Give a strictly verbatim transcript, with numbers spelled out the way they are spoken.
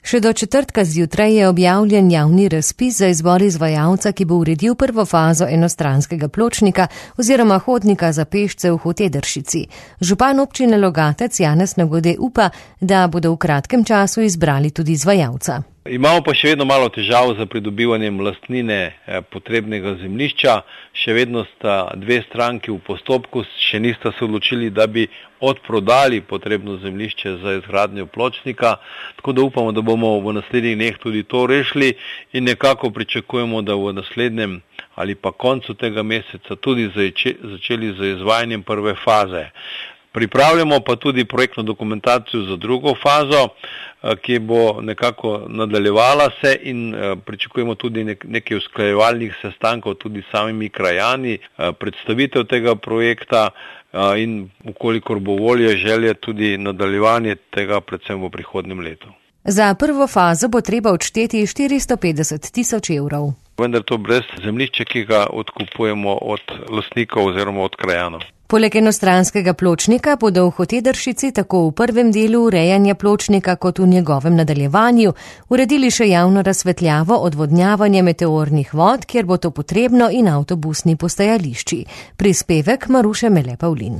Še do četrtka zjutraj je objavljen javni razpis za izbor izvajalca, ki bo uredil prvo fazo enostranskega pločnika oziroma hodnika za pešce v Hotedršici. Župan občine Logatec Janez Nagode upa, da bodo v kratkem času izbrali tudi izvajalca. Imamo pa še vedno malo težav za pridobivanjem lastnine potrebnega zemljišča. Še vedno sta dve stranki v postopku, še nista se odločili, da bi odprodali potrebno zemljišče za izgradnjo pločnika. Tako da upamo, da bomo v naslednjih dneh tudi to rešili in nekako pričakujemo, da v naslednjem ali pa koncu tega meseca tudi začeli z izvajanjem prve faze. Pripravljamo pa tudi projektno dokumentacijo za drugo fazo, ki bo nekako nadaljevala se in pričakujemo tudi nekaj usklajevalnih sestankov tudi s samimi krajani, predstavitev tega projekta in ukolikor bo volje, želje tudi nadaljevanje tega predvsem v prihodnjem letu. Za prvo fazo bo treba odšteti štiristo petdeset tisoč evrov. Vendar to brez zemljišča, ki ga odkupujemo od lastnikov oziroma od krajanov. Poleg enostranskega pločnika bodo v Hotedršici tako v prvem delu urejanja pločnika kot v njegovem nadaljevanju uredili še javno razsvetljavo, odvodnjavanje meteornih vod, kjer bo to potrebno, in avtobusni postajališči. Prispevek Maruše Mele Pavlin.